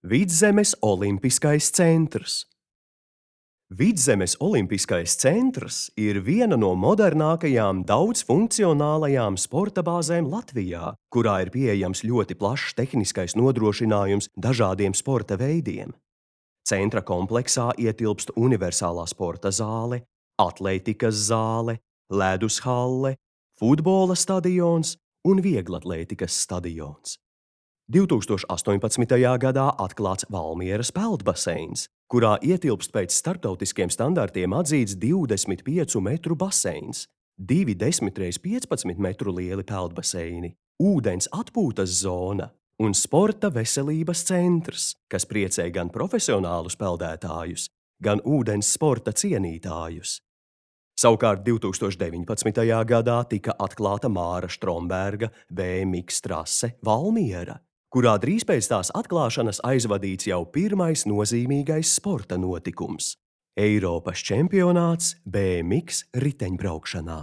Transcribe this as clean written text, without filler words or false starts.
Vidzemes Olimpiskais centrs. Vidzemes Olimpiskais centrs ir viena no modernākajām daudzfunkcionālajām sporta bāzēm Latvijā, kurā ir pieejams ļoti plašs tehniskais nodrošinājums dažādiem sporta veidiem. Centra kompleksā ietilpst universālā sporta zāle, atlētikas zāle, ledus halle, futbola stadions un vieglatlētikas stadions. 2018. gadā atklāts Valmieras peldbaseins, kurā ietilpst pēc starptautiskiem standartiem atzīts 25 metru baseins, 2 10x15 metru lieli peldbaseini, ūdens atpūtas zona un sporta veselības centrs, kas priecē gan profesionālus peldētājus, gan ūdens sporta cienītājus. Savukārt 2019. gadā tika atklāta Māra Štromberga BMX trase Valmiera, kurā drīz pēc tās atklāšanas aizvadīts jau pirmais nozīmīgais sporta notikums – Eiropas čempionāts BMX riteņbraukšanā.